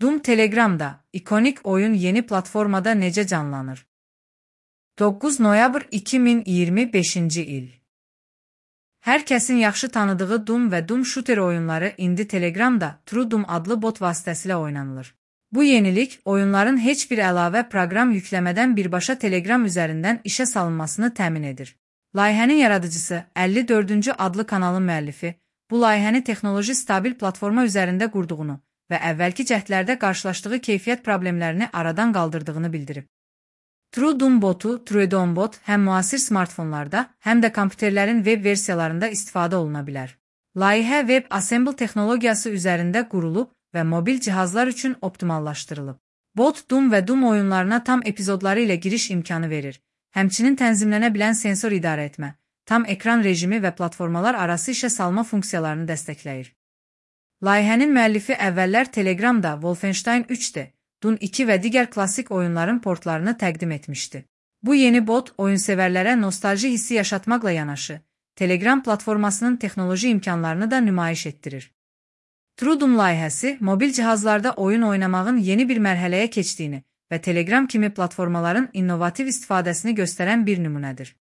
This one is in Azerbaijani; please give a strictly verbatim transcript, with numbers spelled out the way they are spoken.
Doom Telegram'da, ikonik oyun yeni platformada necə canlanır? doqquz noyabr iki min iyirmi beşinci il. Hər kəsin yaxşı tanıdığı Doom və Doom Shooter oyunları indi Telegramda True Doom adlı bot vasitəsilə oynanılır. Bu yenilik, oyunların heç bir əlavə proqram yükləmədən birbaşa Telegram üzərindən işə salınmasını təmin edir. Layihənin yaradıcısı, əlli dördüncü adlı kanalın müəllifi, bu layihəni texnoloji stabil platforma üzərində qurduğunu və əvvəlki cəhdlərdə qarşılaşdığı keyfiyyət problemlərini aradan qaldırdığını bildirib. True Doom botu, TrueDoom bot həm müasir smartfonlarda, həm də kompüterlərin web versiyalarında istifadə oluna bilər. Layihə WebAssembly texnologiyası üzərində qurulub və mobil cihazlar üçün optimallaşdırılıb. Bot Doom və Doom oyunlarına tam epizodları ilə giriş imkanı verir. Həmçinin tənzimlənə bilən sensor idarə etmə, tam ekran rejimi və platformalar arası işə salma funksiyalarını dəstəkləyir. Layihənin müəllifi əvvəllər Telegramda Wolfenstein üç D, Doom iki və digər klassik oyunların portlarını təqdim etmişdi. Bu yeni bot, oyunsevərlərə nostalji hissi yaşatmaqla yanaşı, Telegram platformasının texnoloji imkanlarını da nümayiş etdirir. True Doom layihəsi, mobil cihazlarda oyun oynamağın yeni bir mərhələyə keçdiyini və Telegram kimi platformaların innovativ istifadəsini göstərən bir nümunədir.